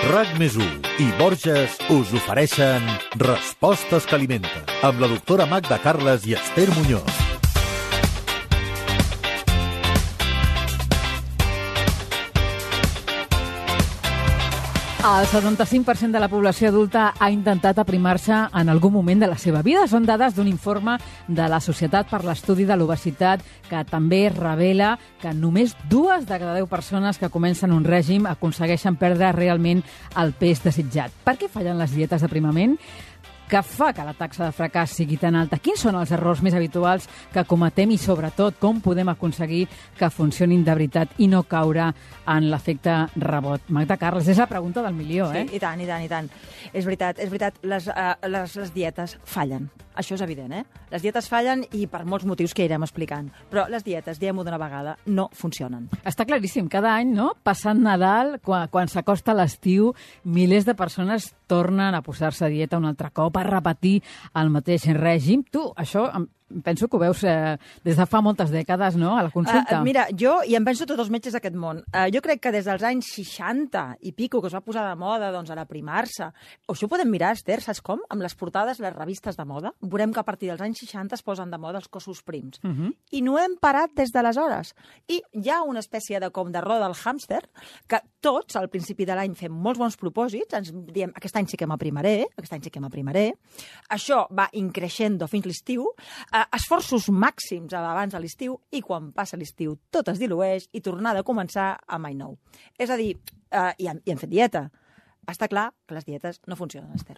RAC+1 i Borges us ofereixen Respostes que alimenten, amb la doctora Magda Carles i Esther Muñoz. El 75% de la població adulta ha intentat aprimar-se en algun moment de la seva vida. Són dades d'un informe de la Societat per l'Estudi de l'Obesitat que també revela que només 2 de cada 10 persones que comencen un règim aconsegueixen perdre realment el pes desitjat. Per què fallen les dietes d'aprimament? Què fa que la taxa de fracàs sigui tan alta? Quins són els errors més habituals que cometem i, sobretot, com podem aconseguir que funcionin de veritat i no caure en l'efecte rebot? Magda Carles, és la pregunta del milió, eh? Sí, i tant, i tant, i tant. És veritat, les dietes fallen. Això és evident, eh? Les dietes fallen i per molts motius que irem explicant. Però les dietes, diguem-ho d'una vegada, no funcionen. Està claríssim. Cada any, no? Passant Nadal, quan s'acosta l'estiu, milers de persones tornen a posar-se a dieta un altre cop, a repetir el mateix règim. Tu, això penso que ho veus des de fa moltes dècades, no?, a la consulta. Mira, jo, i em penso tots els metges d'aquest món, jo crec que des dels anys 60 i pico, que es va posar de moda, doncs, a l'aprimar-se, o això ho podem mirar, Esther, saps com? Amb les portades, les revistes de moda, veurem que a partir dels anys 60 es posen de moda els cossos prims. I no hem parat des d'aleshores. I hi ha una espècie de com de roda del hàmster, que tots, al principi de l'any, fem molts bons propòsits, ens diem, aquest any sí que m'aprimaré, aquest any sí que m'aprimaré. Això va increixendo fins l'estiu, esforços màxims abans de l'estiu, i quan passa l'estiu tot es dilueix i tornar a començar a mai nou. És a dir, i hem fet dieta. Està clar que les dietes no funcionen, Esther.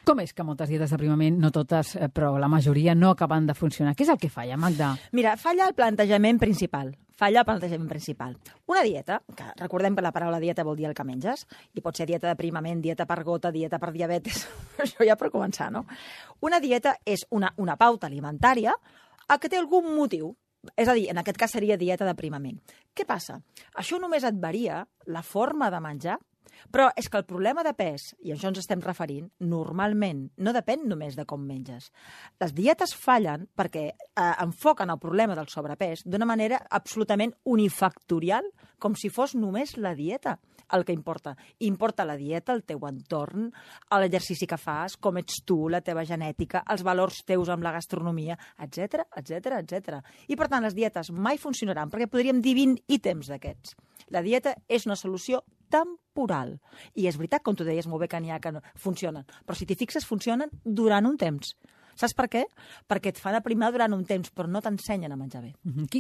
Com és que moltes dietes d'aprimament, no totes, però la majoria, no acaben de funcionar? Què és el que falla, Magda? Mira, falla el plantejament principal. Una dieta, que recordem que la paraula dieta vol dir el que menges, i pot ser dieta d'aprimament, dieta per gota, dieta per diabetes, això ja per començar, no? Una dieta és una pauta alimentària que té algun motiu. És a dir, en aquest cas seria dieta d'aprimament. Què passa? Això només et varia la forma de menjar, però és que el problema de pes, i a això ens estem referint, normalment no depèn només de com menges. Les dietes fallen perquè enfoquen el problema del sobrepès d'una manera absolutament unifactorial, com si fos només la dieta el que importa. Importa la dieta, el teu entorn, l'exercici que fas, com ets tu, la teva genètica, els valors teus amb la gastronomia, etc, etc, etc. I, per tant, les dietes mai funcionaran, perquè podríem dir 20 ítems d'aquests. La dieta és una solució temporal. I és veritat, com tu deies molt bé, que n'hi ha que no funcionen. Però si t'hi fixes, funcionen durant un temps. Saps per què? Perquè et fan aprimar durant un temps, però no t'ensenyen a menjar bé.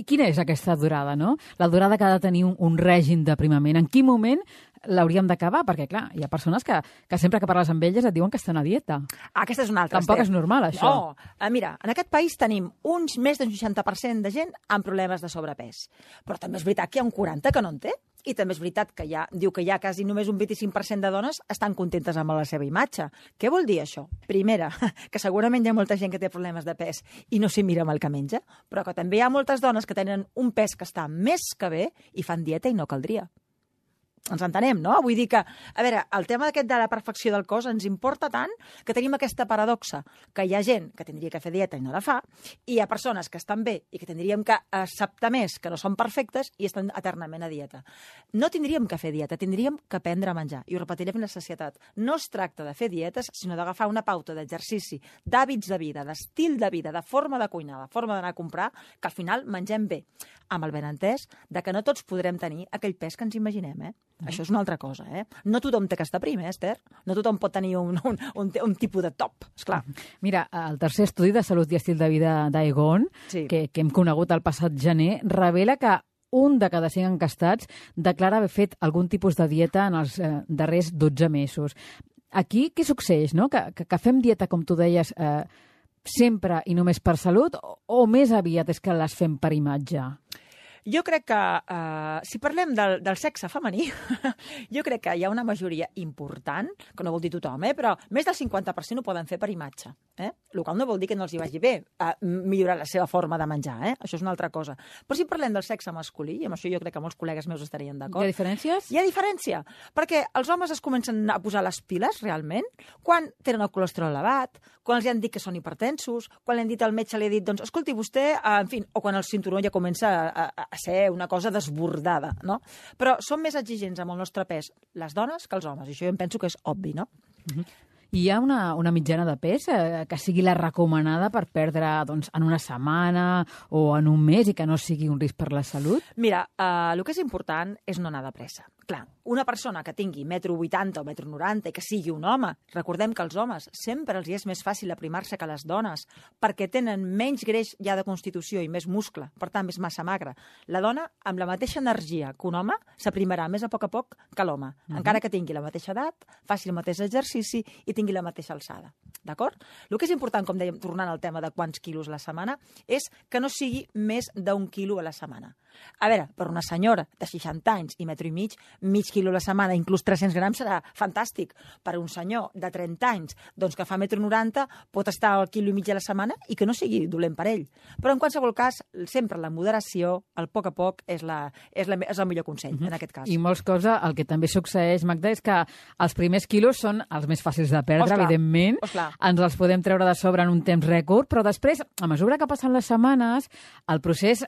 Quina és aquesta durada, no? La durada que ha de tenir un règim d'aprimament. En quin moment l'hauríem d'acabar? Perquè, clar, hi ha persones que sempre que parles amb elles et diuen que estan a dieta. Aquesta és una altra. Tampoc és normal, això. No. Mira, en aquest país tenim més d'un 60% de gent amb problemes de sobrepès. Però també és veritat que hi ha un 40% que no en té. I també és veritat que diu que hi ha quasi només un 25% de dones estan contentes amb la seva imatge. Què vol dir això? Primera, que segurament hi ha molta gent que té problemes de pes i no s'hi mira amb el que menja, però que també hi ha moltes dones que tenen un pes que està més que bé i fan dieta i no caldria. Ens entenem, no? Vull dir que, a veure, el tema aquest de la perfecció del cos ens importa tant que tenim aquesta paradoxa, que hi ha gent que tindria que fer dieta i no la fa, i hi ha persones que estan bé i que tindríem que acceptar més que no són perfectes i estan eternament a dieta. No tindríem que fer dieta, tindríem que aprendre a menjar. I ho repetiré amb la societat. No es tracta de fer dietes, sinó d'agafar una pauta d'exercici, d'hàbits de vida, d'estil de vida, de forma de cuinar, de forma d'anar a comprar, que al final mengem bé, amb el benentès de que no tots podrem tenir aquell pes que ens imaginem, eh? Això és una altra cosa, eh? No tothom té que estar prim, Esther? No tothom pot tenir un tipus de top, esclar. Mira, el tercer estudi de salut i estil de vida d'Aegon, que hem conegut el passat gener, revela que 1 de cada 5 encastats declara haver fet algun tipus de dieta en els darrers 12 mesos. Aquí què succeeix, no? Que fem dieta, com tu deies, sempre i només per salut, o més aviat és que les fem per imatge? Jo crec que, si parlem del sexe femení, jo crec que hi ha una majoria important, que no vol dir tothom, però més del 50% ho poden fer per imatge. El qual no vol dir que no els hi vagi bé millorar la seva forma de menjar. Això és una altra cosa. Però si parlem del sexe masculí, i amb això jo crec que molts col·legues meus estarien d'acord. Hi ha diferències? Hi ha diferència, perquè els homes es comencen a posar les piles, realment, quan tenen el colesterol elevat, quan els han dit que són hipertensos, quan li han dit al metge, li ha dit, doncs, escolti, vostè, en fi, o quan el cinturó ja comença a ser una cosa desbordada, no? Però som més exigents amb el nostre pes les dones que els homes, i això jo em penso que és obvi, no? Hi ha una mitjana de pes que sigui la recomanada per perdre doncs, en una setmana o en un mes i que no sigui un risc per la salut? Mira, el que és important és no anar de pressa. Clar, una persona que tingui 1,80 m o 1,90 m i que sigui un home, recordem que els homes sempre els és més fàcil aprimar-se que les dones perquè tenen menys greix ja de constitució i més muscle, per tant, més massa magra. La dona, amb la mateixa energia que un home, s'aprimarà més a poc que l'home, encara que tingui la mateixa edat, faci el mateix exercici i tingui la mateixa alçada. D'acord? El que és important, com dèiem, tornant al tema de quants quilos a la setmana, és que no sigui més d'1 quilo a la setmana. A veure, per una senyora de 60 anys i metro i mig quilo a la setmana, inclús 300 grams, serà fantàstic. Per un senyor de 30 anys, doncs que fa 1,90 m, pot estar al quilo i mig a la setmana i que no sigui dolent per ell. Però en qualsevol cas, sempre la moderació, el poc a poc, és el millor consell, en aquest cas. I molts cops el que també succeeix, Magda, és que els primers quilos són els més fàcils de perdre, evidentment. Ens els podem treure de sobre en un temps rècord, però després, a mesura que passen les setmanes, el procés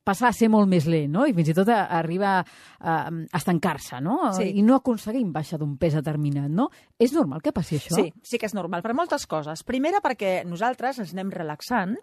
passa a ser molt més lent, no? I fins i tot arriba a estancar-se, no? Sí. I no aconseguim baixar d'un pes determinat, no? És normal que passi això? Sí que és normal, per moltes coses. Primera, perquè nosaltres ens anem relaxant.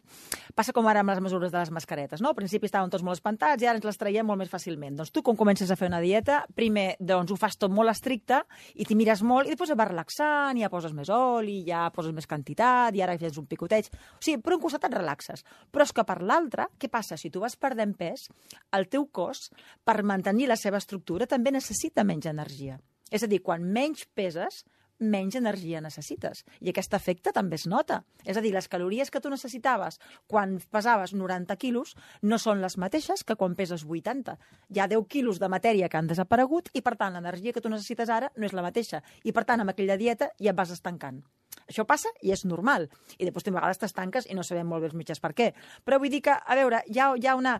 Passa com ara amb les mesures de les mascaretes, no? Al principi estàvem tots molt espantats i ara ens les traiem molt més fàcilment. Doncs tu, quan comences a fer una dieta, primer doncs, ho fas tot molt estricte i t'hi mires molt i després et vas relaxant, ja poses més oli, ja poses més quantitat i ara fes un picoteig. O sigui, per un costat et relaxes. Però és que per l'altre, què passa? Si tu vas perdent pes, el teu cos, per mantenir la seva estructura, també necessita menys energia. És a dir, quan menys peses, menys energia necessites. I aquest efecte també es nota. És a dir, les calories que tu necessitaves quan pesaves 90 quilos no són les mateixes que quan peses 80. Hi ha 10 quilos de matèria que han desaparegut i, per tant, l'energia que tu necessites ara no és la mateixa. I, per tant, amb aquella dieta ja et vas estancant. Això passa i és normal. I després a vegades t'estanques i no sabem molt bé els mitjans per què. Però vull dir que, a veure, hi ha una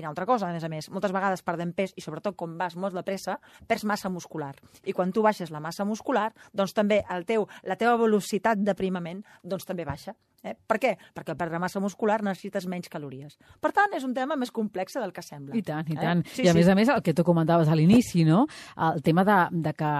altra cosa, a més. Moltes vegades perdem pes i sobretot quan vas molt de pressa, perds massa muscular. I quan tu baixes la massa muscular, doncs també la teva velocitat d'aprimament doncs també baixa. Per què? Perquè per perdre massa muscular necessites menys calories. Per tant, és un tema més complex del que sembla. I tant, i tant. I a més, el que tu comentaves a l'inici, no? El tema de que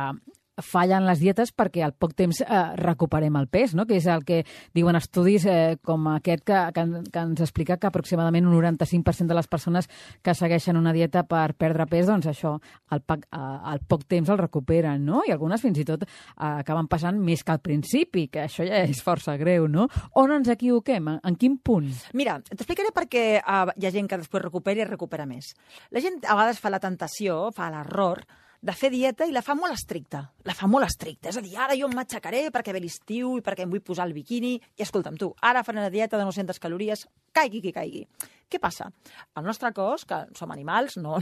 fallen les dietes perquè al poc temps recuperem el pes, no? Que és el que diuen estudis com aquest que ens explica que aproximadament un 95% de les persones que segueixen una dieta per perdre pes, doncs això, al poc temps el recuperen, no? I algunes fins i tot acaben passant més que al principi, que això ja és força greu, no? On ens equivoquem? En quin punt? Mira, t'explicaré per què hi ha gent que després recupera i recupera més. La gent a vegades fa la tentació, fa l'error, de fer dieta i la fa molt estricta. És a dir, ara jo em matxacaré perquè ve l'estiu i perquè em vull posar el biquini. I escolta'm tu, ara faré una dieta de 900 calories, caigui qui caigui. Què passa? El nostre cos, que som animals, no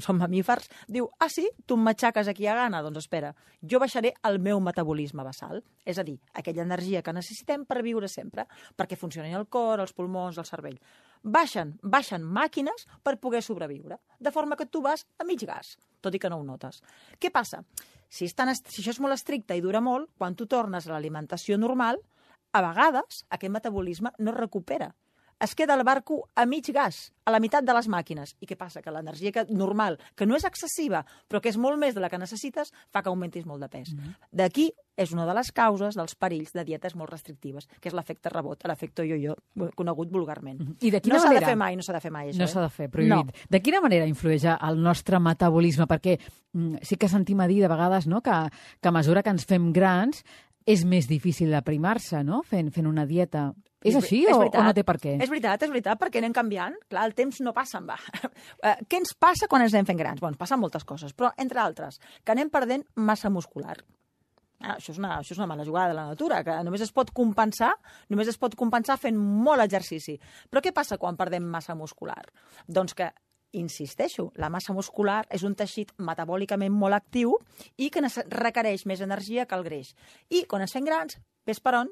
som mamífers, diu, sí, tu em matxaques aquí a gana? Doncs espera, jo baixaré el meu metabolisme basal, és a dir, aquella energia que necessitem per viure sempre, perquè funcionin el cor, els pulmons, el cervell. Baixen màquines per poder sobreviure, de forma que tu vas a mig gas, tot i que no ho notes. Què passa? Si això és molt estricte i dura molt, quan tu tornes a l'alimentació normal, a vegades aquest metabolisme no es recupera. Es queda el barco a mig gas, a la meitat de les màquines. I què passa? Que l'energia normal, que no és excessiva, però que és molt més de la que necessites, fa que augmentis molt de pes. D'aquí és una de les causes dels perills de dietes molt restrictives, que és l'efecte rebot, l'efecte yo-yo, conegut vulgarment. I de quina manera? No s'ha de fer mai, això. No s'ha de fer, prohibit. No. De quina manera influeix el nostre metabolisme? Perquè sí que sentim a dir de vegades, no, que a mesura que ens fem grans és més difícil d'aprimar-se, no?, fent una dieta. És així o no té per què? És veritat, perquè anem canviant. Clar, el temps no passa en va. Què ens passa quan ens anem fent grans? Ens passen moltes coses, però, entre altres, que anem perdent massa muscular. Això és una mala jugada de la natura, que només es pot compensar fent molt exercici. Però què passa quan perdem massa muscular? Doncs que, insisteixo, la massa muscular és un teixit metabòlicament molt actiu i que requereix més energia que el greix. I quan ens fem grans, ves per on,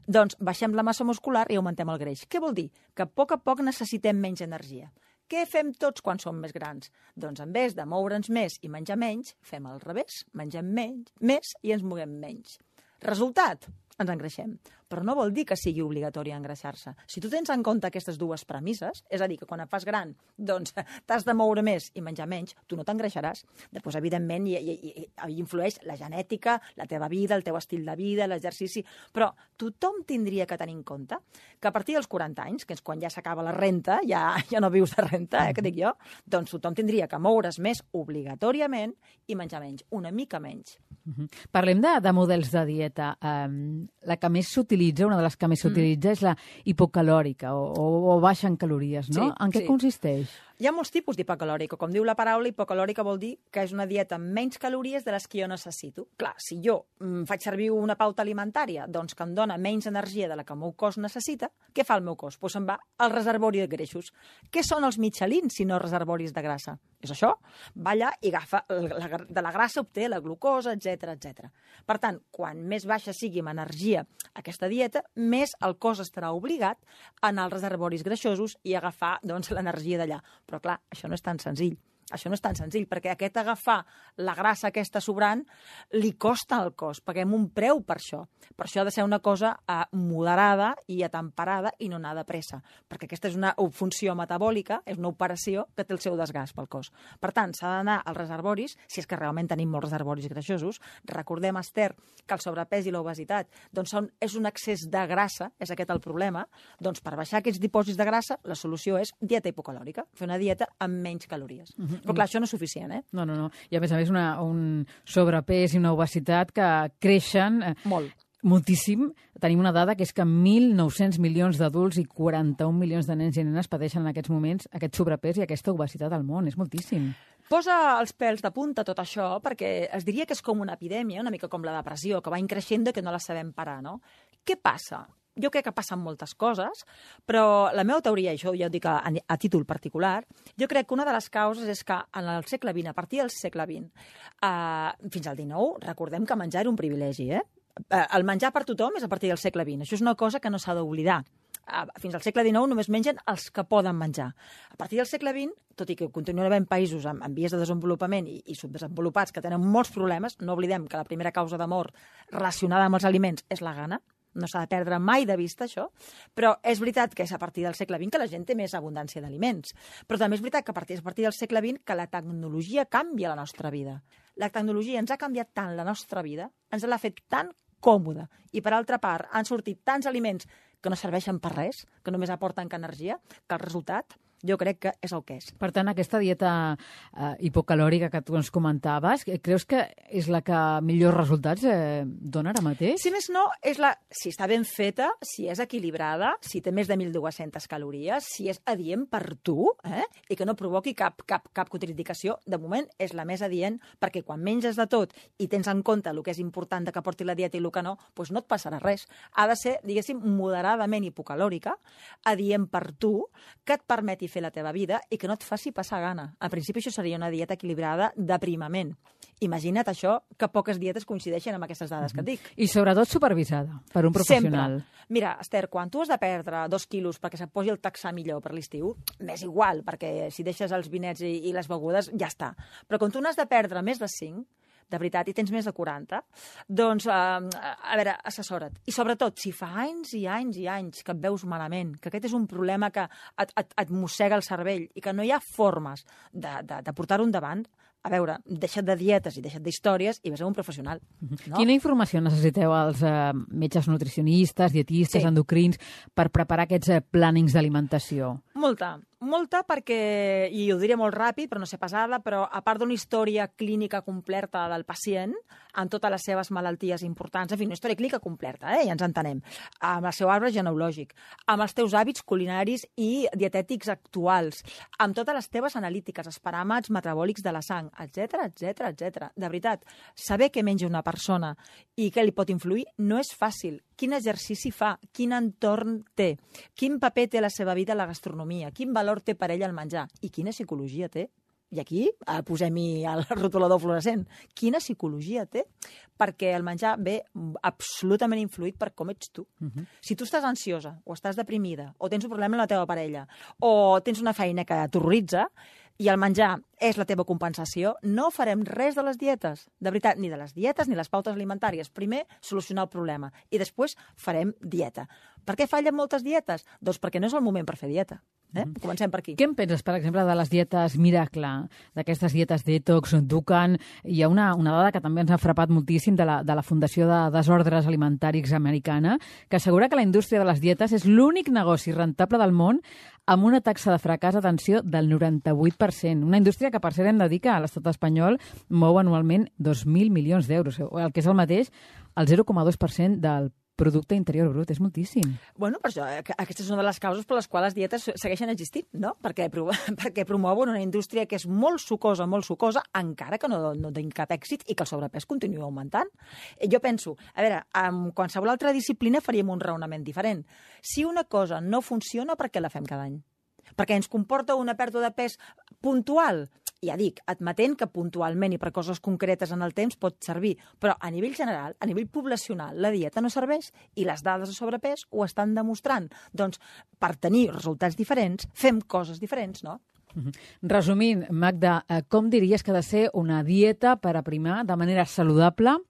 doncs baixem la massa muscular i augmentem el greix. Què vol dir? Que a poc necessitem menys energia. Què fem tots quan som més grans? Doncs en vez de moure'ns més i menjar menys, fem al revés, mengem més i ens moguem menys. Resultat? ens engreixem. Però no vol dir que sigui obligatori engreixar-se. Si tu tens en compte aquestes dues premisses, és a dir, que quan et fas gran doncs t'has de moure més i menjar menys, tu no t'engreixaràs. Després, evidentment, hi influeix la genètica, la teva vida, el teu estil de vida, l'exercici, però tothom tindria que tenir en compte que a partir dels 40 anys, que és quan ja s'acaba la renta, ja no vius de renta, que dic jo, doncs tothom tindria que moure's més obligatòriament i menjar menys, una mica menys. Parlem de models de dieta. La que més s'utilitza, una de les que més s'utilitza, és la hipocalòrica o baixa en calories, no? Sí, en què consisteix? Hi ha molts tipus d'hipocalòrica. Com diu la paraula, hipocalòrica vol dir que és una dieta amb menys calories de les que jo necessito. Clar, si jo faig servir una pauta alimentària doncs que em dona menys energia de la que el meu cos necessita, què fa el meu cos? Doncs se'n va al reservori de greixos. Què són els mitjalins si no reservoris de grassa? És això? Va allà i agafa de la grassa, obté la glucosa, etc etc. Per tant, quan més baixa sigui amb energia aquesta dieta, més el cos estarà obligat a anar als reservoris greixosos i agafar doncs, l'energia d'allà. Però, clar, això no és tan senzill. Això no és tan senzill, perquè aquest agafar la grassa aquesta sobrant li costa al cos, paguem un preu per això. Per això ha de ser una cosa moderada i atemperada i no anar de pressa, perquè aquesta és una funció metabòlica, és una operació que té el seu desgast pel cos. Per tant, s'ha d'anar als reservoris, si és que realment tenim molts reservoris greixosos. Recordem, Esther, que el sobrepès i l'obesitat doncs és un excés de grassa, és aquest el problema. Doncs per baixar aquests dipòsits de grassa, la solució és dieta hipocalòrica, fer una dieta amb menys calories. Però clar, això no és suficient, eh? No. I a més un sobrepès i una obesitat que creixen moltíssim. Tenim una dada que és que 1.900 milions d'adults i 41 milions de nens i nenes pateixen en aquests moments aquest sobrepès i aquesta obesitat al món. És moltíssim. Posa els pèls de punta tot això perquè es diria que és com una epidèmia, una mica com la depressió, que va increixent i que no la sabem parar, no? Què passa? Jo crec que passen moltes coses, però la meva teoria, això ja ho dic a títol particular, jo crec que una de les causes és que en el segle XX, a partir del segle XX, fins al XIX, recordem que menjar era un privilegi, eh? El menjar per tothom és a partir del segle XX. Això és una cosa que no s'ha d'oblidar. Fins al segle XIX només mengen els que poden menjar. A partir del segle XX, tot i que continuen havent països en vies de desenvolupament i subdesenvolupats que tenen molts problemes, no oblidem que la primera causa de mort relacionada amb els aliments és la gana. No s'ha de perdre mai de vista, això. Però és veritat que és a partir del segle XX que la gent té més abundància d'aliments. Però també és veritat que a partir del segle XX que la tecnologia canvia la nostra vida. La tecnologia ens ha canviat tant la nostra vida, ens l'ha fet tan còmoda. I, per altra part, han sortit tants aliments que no serveixen per res, que només aporten energia, que el resultat jo crec que és el que és. Per tant, aquesta dieta hipocalòrica que tu ens comentaves, creus que és la que millors resultats dona ara mateix? Si més no, si està ben feta, si és equilibrada, si té més de 1.200 calories, si és adient per tu, i que no provoqui cap contraindicació, de moment és la més adient, perquè quan menges de tot i tens en compte el que és important de que porti la dieta i el que no, doncs no et passarà res. Ha de ser, diguéssim, moderadament hipocalòrica, adient per tu, que et permeti fer la teva vida i que no et faci passar gana. Al principi això seria una dieta equilibrada d'aprimament. Imagina't això, que poques dietes coincideixen amb aquestes dades que et dic. I sobretot supervisada per un professional. Sempre. Mira, Esther, quan tu has de perdre 2 quilos perquè se't posi el texà millor per l'estiu, m'és igual, perquè si deixes els vinets i les begudes, ja està. Però quan tu n'has de perdre més de 5, de veritat, i tens més de 40, doncs, a veure, assessora't. I sobretot, si fa anys i anys i anys que et veus malament, que aquest és un problema que et mossega el cervell i que no hi ha formes de portar-ho endavant, a veure, deixa't de dietes i deixa't d'històries i vés a un professional. No? Quina informació necessiteu els metges nutricionistes, dietistes, endocrins, per preparar aquests plànings d'alimentació? Molta perquè, i ho diré molt ràpid, però no sé pesada, però a part d'una història clínica completa del pacient, amb totes les seves malalties importants, en fi, una història clínica completa, ja ens entenem, amb el seu arbre genealògic, amb els teus hàbits culinaris i dietètics actuals, amb totes les teves analítiques, els paràmetres metabòlics de la sang, etc etc etc. De veritat, saber què menja una persona i què li pot influir no és fàcil. Quin exercici fa, quin entorn té, quin paper té a la seva vida la gastronomia, quin valor té per ell el menjar i quina psicologia té. I aquí posem-hi el rotulador fluorescent. Quina psicologia té? Perquè el menjar ve absolutament influït per com ets tu. Si tu estàs ansiosa, o estàs deprimida, o tens un problema amb la teva parella, o tens una feina que t'horroritza, i el menjar és la teva compensació, no farem res de les dietes. De veritat, ni de les dietes ni les pautes alimentàries. Primer, solucionar el problema i després farem dieta. Per què fallen moltes dietes? Doncs perquè no és el moment per fer dieta. Comencem per aquí. Què en penses, per exemple, de les dietes miracle, d'aquestes dietes detox, Dukan? Hi ha una dada que també ens ha frapat moltíssim de la Fundació de Desordres Alimentaris americana, que assegura que la indústria de les dietes és l'únic negoci rentable del món amb una taxa de fracàs, atenció, del 98%. Una indústria que, per cert, hem de dir que a l'estat espanyol mou anualment 2.000 milions d'euros, el que és el mateix, el 0,2% del Producte Interior Brut. És moltíssim. Bueno, per això, aquesta és una de les causes per les quals les dietes segueixen existint, no? Perquè promouen una indústria que és molt sucosa, encara que no tingui cap èxit i que el sobrepès continua augmentant. Jo penso, a veure, amb qualsevol altra disciplina faríem un raonament diferent. Si una cosa no funciona, per què la fem cada any? Perquè ens comporta una pèrdua de pes puntual. Ja dic, admetent que puntualment i per coses concretes en el temps pot servir, però a nivell general, a nivell poblacional, la dieta no serveix i les dades de sobrepès ho estan demostrant. Doncs, per tenir resultats diferents, fem coses diferents, no? Resumint, Magda, com diries que ha de ser una dieta per aprimar de manera saludable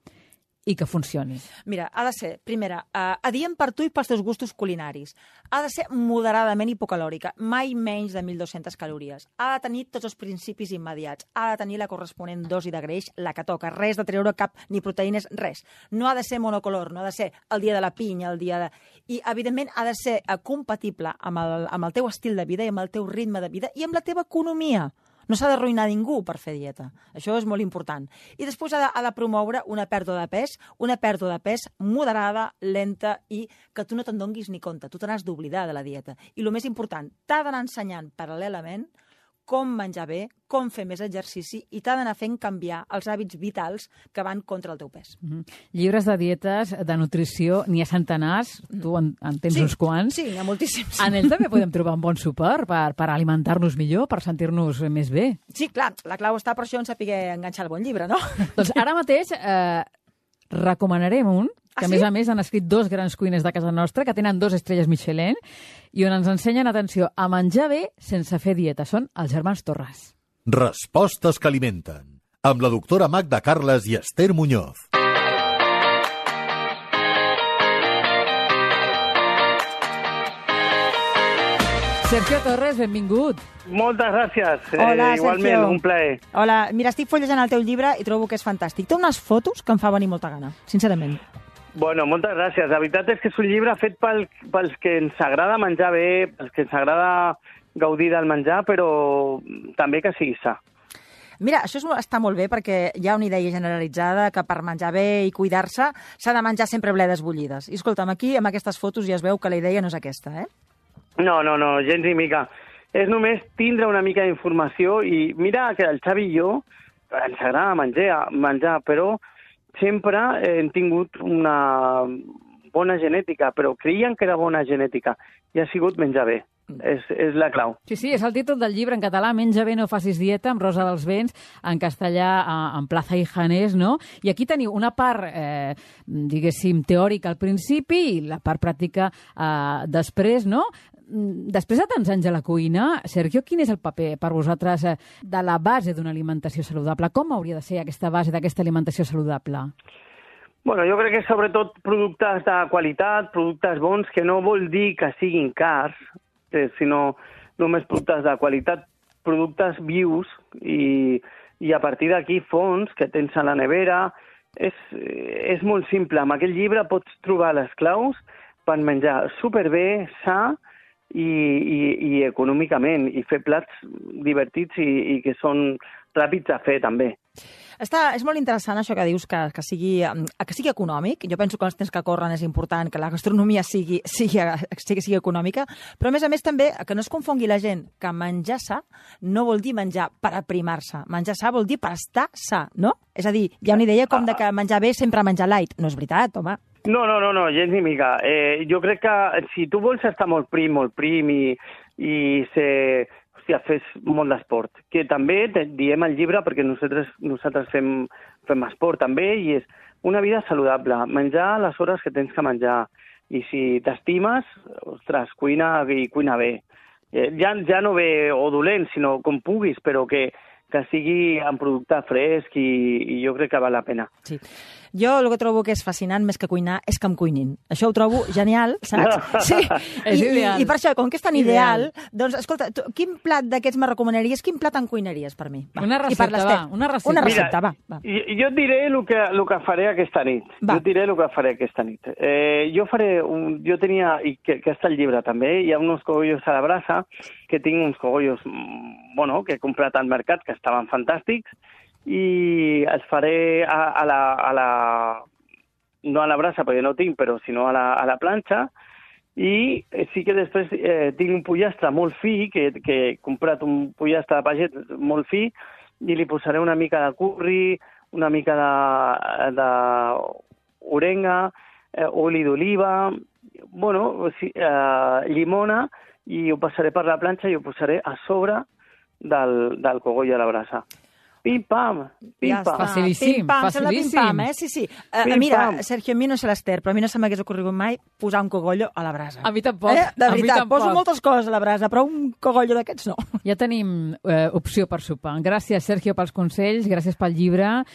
i que funcioni? Mira, ha de ser, primera, adient per tu i pels teus gustos culinaris. Ha de ser moderadament hipocalòrica, mai menys de 1.200 calories. Ha de tenir tots els principis immediats. Ha de tenir la corresponent dosi de greix, la que toca. Res de treure cap ni proteïnes, res. No ha de ser monocolor, no ha de ser el dia de la pinya, el dia de... I, evidentment, ha de ser compatible amb el teu estil de vida i amb el teu ritme de vida i amb la teva economia. No s'ha d'arruïnar ningú per fer dieta. Això és molt important. I després ha de promoure una pèrdua de pes moderada, lenta i que tu no te'n donguis ni compte. Tu te n'has d'oblidar de la dieta. I el més important, t'ha d'anar ensenyant paral·lelament com menjar bé, com fer més exercici i t'ha d'anar fent canviar els hàbits vitals que van contra el teu pes. Llibres de dietes, de nutrició, n'hi ha centenars, tu en tens uns quants. Sí, n'hi ha moltíssims. En ell també podem trobar un bon suport per alimentar-nos millor, per sentir-nos més bé. Sí, clar, la clau està per això en saber enganxar el bon llibre, no? Doncs ara mateix recomanarem un, que a més han escrit 2 grans cuiners de casa nostra, que tenen 2 estrelles Michelin, i on ens ensenyen, atenció, a menjar bé sense fer dieta. Són els germans Torres. Respostes que alimenten. Amb la doctora Magda Carles i Esther Muñoz. Sergio Torres, benvingut. Moltes gràcies. Hola, igualment, Sergio. un plaer. Hola, mira, estic fullejant el teu llibre i trobo que és fantàstic. Té unes fotos que em fa venir molta gana, sincerament. Bueno, moltes gràcies. La veritat és que és un llibre fet pels que ens agrada menjar bé, pels que ens agrada gaudir del menjar, però també que sigui sa. Mira, això està molt bé perquè hi ha una idea generalitzada que per menjar bé i cuidar-se s'ha de menjar sempre bledes bullides. I escolta'm, aquí amb aquestes fotos ja es veu que la idea no és aquesta, eh? No, gens ni mica. És només tindre una mica d'informació i mira que el Xavi i jo ens agrada menjar, però sempre hem tingut una bona genètica, però creien que era bona genètica i ha sigut menjar bé. És la clau. Sí, és el títol del llibre en català, Menja bé, no facis dieta, amb Rosa dels Vents, en castellà, en Plaza i Janés, no? I aquí teniu una part, diguéssim, teòrica al principi i la part pràctica després, no? Després de tants anys a la cuina, Sergio, quin és el paper per vosaltres de la base d'una alimentació saludable? Com hauria de ser aquesta base d'aquesta alimentació saludable? Bueno, jo crec que sobretot productes de qualitat, productes bons, que no vol dir que siguin cars, sinó només productes de qualitat, productes vius i a partir d'aquí fons que tens a la nevera. És molt simple. Amb aquest llibre pots trobar les claus per menjar superbé, sa i econòmicament, i fer plats divertits i que són ràpids a fer també. És molt interessant això que dius, que sigui econòmic. Jo penso que els temps que corren és important que la gastronomia sigui econòmica, però a més també que no es confongui la gent que menjar sa no vol dir menjar per aprimar-se. Menjar sa vol dir per estar sa, no? És a dir, hi ha una idea com de que menjar bé sempre menjar light. No és veritat, home. No, gens ni mica. Jo crec que si tu vols estar molt prim i ser... fes molt d'esport, que també diem al llibre perquè nosaltres fem esport també i és una vida saludable, menjar a les hores que tens que menjar i si t'estimes, ostres, cuina bé, ja no ve o dolent, sinó com puguis, però que sigui en producte fresc i jo crec que val la pena. Sí. Jo el que trobo que és fascinant més que cuinar és que em cuinin. Això ho trobo genial, saps? Sí. És ideal. I per això, com que és tan ideal, doncs, escolta, quin plat d'aquests me recomanaries? Quin plat em cuinaries per mi? Va. Una recepta, va. Una recepta. Una recepta, va. Jo et diré el que faré aquesta nit. Jo faré... Jo tenia, i que està al llibre també, hi ha uns cogollos a la brasa, que tinc uns cogollos, que he comprat al mercat, que estaven fantàstics, i els faré no a la brasa, perquè no tinc, però sinó a la planxa, i sí que després tinc un pollastre molt fi, que he comprat un pollastre de paget molt fi, i li posaré una mica de curri, una mica d'orenga, oli d'oliva, llimona, i ho passaré per la planxa i ho posaré a sobre del cogoll a la brasa. Pim-pam, pim-pam. Facilíssim, facilíssim. Pim-pam, sí. Mira, Sergio, a mi no sé l'Ester, però a mi no se m'hagués ocorregut mai posar un cogollo a la brasa. A mi tampoc. De veritat, poso moltes coses a la brasa, però un cogollo d'aquests no. Ja tenim opció per sopar. Gràcies, Sergio, pels consells, gràcies pel llibre,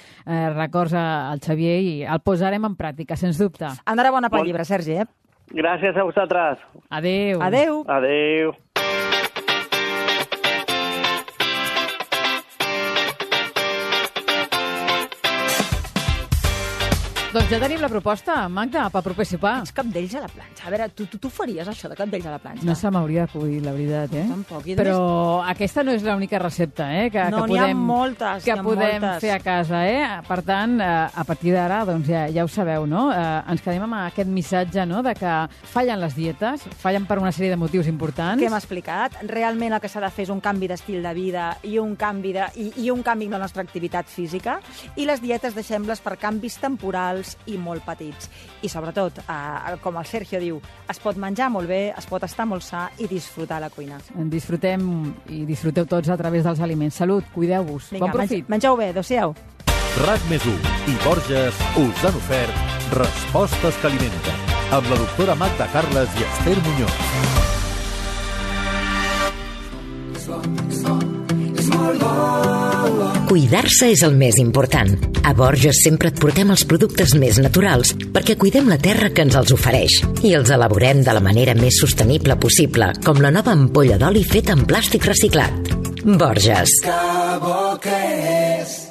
records al Xavier i el posarem en pràctica, sens dubte. Enhorabona pel llibre, Sergi, Gràcies a vosaltres. Adéu. Adéu. Adéu. Doncs ja tenim la proposta, Magda, per proper sopar. Els cabdells a la planxa. A veure, tu faries això de cabdells a la planxa? No se m'hauria acudit, la veritat, Tampoc. Però aquesta no és l'única recepta, que n'hi ha moltes, que podem fer a casa, Per tant, a partir d'ara, doncs ja ho sabeu, no? Ens quedem amb aquest missatge, no?, de que fallen les dietes, fallen per una sèrie de motius importants. Què hem explicat? Realment el que s'ha de fer és un canvi d'estil de vida i un canvi en la nostra activitat física, i les dietes deixem-les per canvis temporals i molt petits. I sobretot, com el Sergio diu, es pot menjar molt bé, es pot estar molt sa i disfrutar la cuina. Disfrutem i disfruteu tots a través dels aliments. Salut, cuideu-vos. Bon profit. Mengeu bé, adéu-siau. RAC+1 i Borges us han ofert Respostes que alimenten, amb la doctora Magda Carles i Esther Muñoz. Cuidar-se és el més important. A Borges sempre et portem els productes més naturals perquè cuidem la terra que ens els ofereix i els elaborem de la manera més sostenible possible, com la nova ampolla d'oli feta en plàstic reciclat. Borges. Que bo que és